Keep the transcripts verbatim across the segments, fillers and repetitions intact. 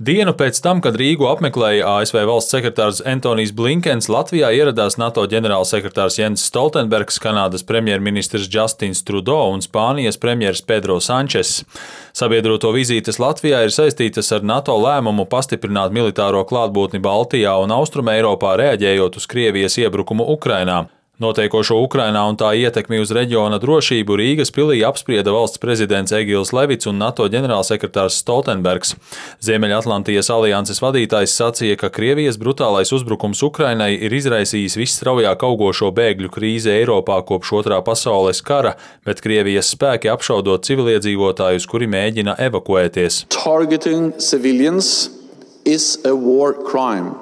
Dienu pēc tam, kad Rīgu apmeklēja A S V valsts sekretārs Antonijs Blinkens, Latvijā ieradās NATO ģenerālsekretārs Jens Stoltenbergs, Kanādas premjerministrs Justins Trudeau un Spānijas premjers Pedro Sančes. Sabiedroto vizītes Latvijā ir saistītas ar NATO lēmumu pastiprināt militāro klātbūtni Baltijā un Austrumeiropā, reaģējot uz Krievijas iebrukumu Ukrainā. Notiekošo Ukrainā un tā ietekmi uz reģiona drošību Rīgas pilī apsprieda valsts prezidents Egils Levits un NATO ģenerālsekretārs Stoltenbergs. Ziemeļatlantijas alianses vadītājs sacīja, ka Krievijas brutālais uzbrukums Ukrainai ir izraisījis visstraujāk augošo bēgļu krīzi Eiropā kopš Otrā pasaules kara, bet Krievijas spēki apšaudot civiliedzīvotājus, kuri mēģina evakuēties. Targeting civilians is a war crime.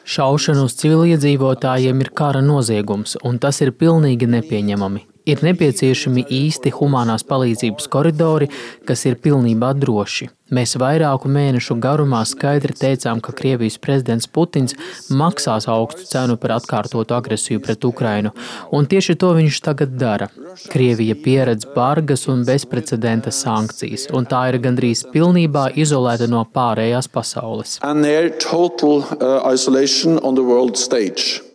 Šaušana uz civiliedzīvotājiem ir kara noziegums, un tas ir pilnīgi nepieņemami. Ir nepieciešami īsti humānās palīdzības koridori, kas ir pilnībā droši. Mēs vairāku mēnešu garumā skaidri teicām, ka Krievijas prezidents Putins maksās augstu cenu par atkārtotu agresiju pret Ukrainu, un tieši to viņš tagad dara. Krievija pieredz bargas un bezprecedenta sankcijas, un tā ir gandrīz pilnībā izolēta no pārējās pasaules. Total, uh,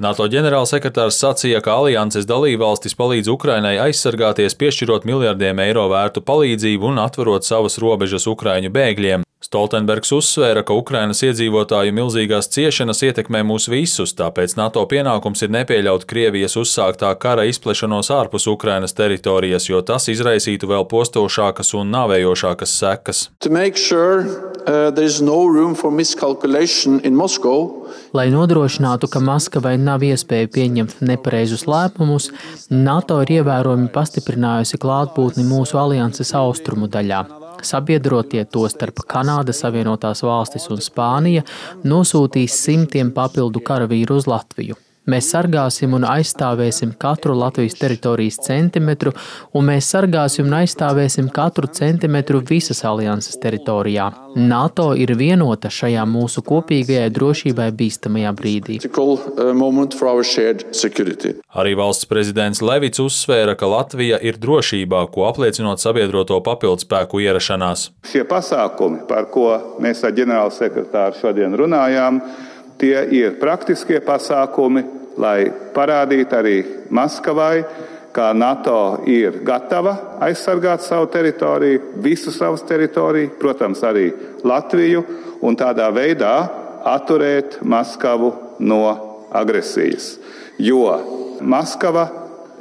NATO ģenerālsekretārs sacīja, ka alianses dalībvalstis palīdz Ukrainai aizsargāties, piešķirot miljardiem eiro vērtu palīdzību un atverot savas robežas Ukraiņu bēgļiem. Stoltenbergs uzsvēra, ka Ukrainas iedzīvotāju milzīgās ciešanas ietekmē mūs visus, tāpēc NATO pienākums ir nepieļaut Krievijas uzsāktā kara izplešanos ārpus Ukrainas teritorijas, jo tas izraisītu vēl postošākas un nāvējošākas sekas. Sure, uh, no Moscow, Lai nodrošinātu, ka Maskavai nav iespēja pieņemt nepareizus lēmumus, NATO ir ievērojami pastiprinājusi klātbūtni mūsu alianses austrumu daļā. Sabiedrotie, tostarp Kanāda, Savienotās valstis un Spānija, nosūtīs simtiem papildu karavīru uz Latviju. Mēs sargāsim un aizstāvēsim katru Latvijas teritorijas centimetru, un mēs sargāsim un aizstāvēsim katru centimetru visas alianses teritorijā. NATO ir vienota šajā mūsu kopīgajai drošībai bīstamajā brīdī. Arī valsts prezidents Levits uzsvēra, ka Latvija ir drošībā, ko apliecinot sabiedroto papildspēku ierašanās. Šie pasākumi, par ko mēs ar ģenerālsekretāru šodien runājām, tie ir praktiskie pasākumi, lai parādītu arī Maskavai, ka NATO ir gatava aizsargāt savu teritoriju, visu savas teritoriju, protams, arī Latviju, un tādā veidā atturēt Maskavu no agresijas. Jo Maskava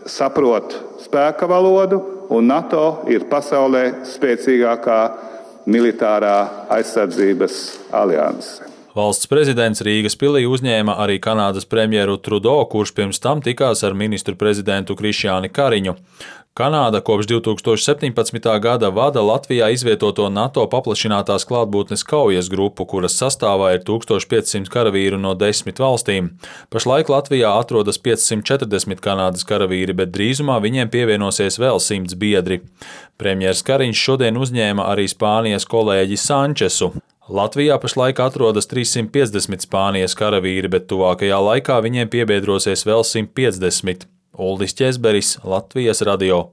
saprot spēka valodu, un NATO ir pasaulē spēcīgākā militārā aizsardzības alianse. Valsts prezidents Rīgas pilī uzņēma arī Kanādas premjeru Trudeau, kurš pirms tam tikās ar ministru prezidentu Krišjāni Kariņu. Kanāda kopš divi tūkstoši septiņpadsmitā gada vada Latvijā izvietoto NATO paplašinātās klātbūtnes kaujas grupu, kuras sastāvā ir tūkstoš piecsimt karavīru no desmit valstīm. Pašlaik Latvijā atrodas piecsimt četrdesmit Kanādas karavīri, bet drīzumā viņiem pievienosies vēl simts biedri. Premjers Kariņš šodien uzņēma arī Spānijas kolēģi Sančesu. Latvijā pašlaik atrodas trīssimt piecdesmit Spānijas karavīri, bet tuvākajā laikā viņiem piebiedrosies vēl simt piecdesmit. Uldis Ķezberis, Latvijas radio.